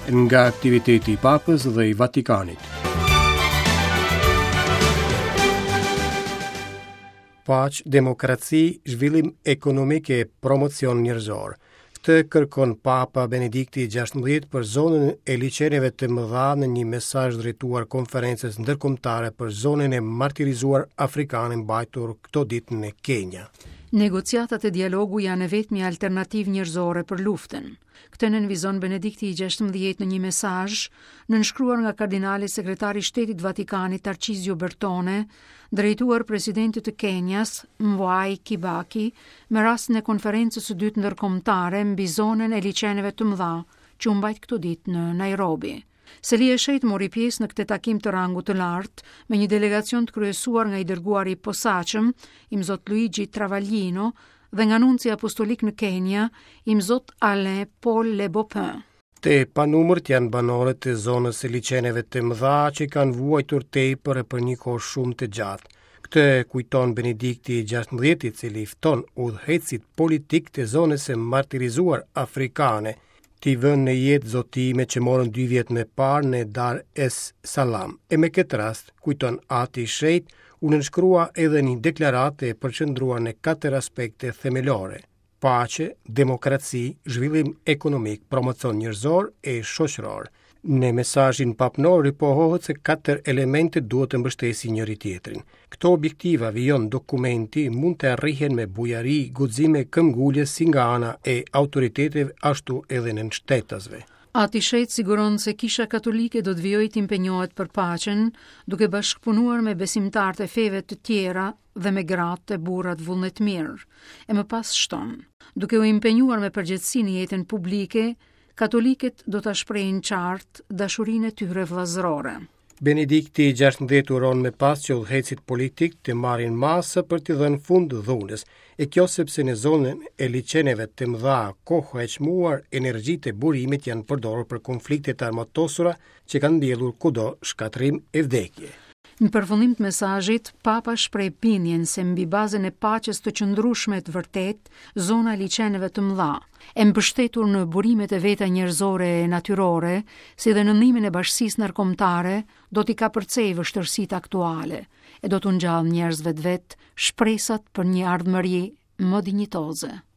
Nga aktiviteti i Papës dhe i Vatikanit. Paqe, demokraci, zhvillim ekonomik e promocion njerëzor. Këtë kërkon Papa Benedikti XVI për zonën e liqeneve të mëdha në një mesazh drejtuar konferencës ndërkombëtare për zonën e martirizuar afrikane mbajtur këto ditë në Kenia. Negociatat e dialogu janë e vetmja alternativë njerëzore për luftën. Këtë nënvizon Benedikti i 16 në një mesazh, nënshkruar nga kardinali sekretari i Shtetit të Vatikanit Tarcizio Bertone, drejtuar presidentit të Kenias, Mwai Kibaki, me rastin e konferencës së dytë ndërkombëtare mbi zonën e liqeneve të mëdha, që u mbajt këto ditë në Nairobi. Selia e Shenjtë mori pjesë në këtë takim të rangut të lartë me një delegacion të kryesuar nga i dërguari i posaçëm, Imzot Luigi Travaglino, dhe nga nunci apostolik në Kenia, Imzot Alain Paul Le Beaupin. Të panumërt janë banorët e zonës së liqeneve të mëdha që kanë vuajtur tepër e për një kohë shumë të gjatë. Këtë e kujton Benedikti i 16, i cili fton udhëheqësit politikë të zonës së martirizuar afrikane t'i vënë në jetë zotimet që morën dy vjet më parë në Dar es Salaam. E me këtë rast, kujton Ati i Shenjtë, u nënshkrua edhe një deklaratë e përqendruar në katër aspekte themelore: paqe, demokraci, zhvillim ekonomik, promocion njerëzor e shoqëror. Në mesazhin papnor ripohohet se katër elementet duhet të mbështesin njëri-tjetrin. Këto objektiva, vijon dokumenti, mund të arrihen me bujari, guxim e këmbëngulje si nga ana e autoriteteve ashtu edhe nënshtetasve. Ati i Shenjtë siguron se Kisha Katolike do të vijojë të impenjohet për paqen, duke bashkëpunuar me besimtarët e feve të tjera dhe me gratë e burrat vullnetmirë. E më pas shton, duke u impenjuar me përgjegjësi në jetën publike, katolikët do ta shprehin qartë dashurinë e tyre vëllazërore. Benedikti i 16 uron më pas që udhëheqësit politikë të marrin masa për t'i dhënë fund dhunës, e kjo sepse në zonën e liqeneve të mëdha koha e çmuar, energjitë e burimet janë përdorur për konflikte të armatosura që kanë mbjellur kudo shkatërrim e vdekje. Në përfundim të mesazhit, Papa shpreh bindjen se mbi bazën e paqes të qëndrueshme të vërtetë, zona e liqeneve të mëdha, e mbështetur në burimet e veta njerëzore e natyrore, si dhe në ndihmën e bashkësisë ndërkombëtare, do t'i kapërcejë vështirësitë aktuale e do t'u ngjallë njerëzve të vet shpresat për një ardhmëri më dinjitoze.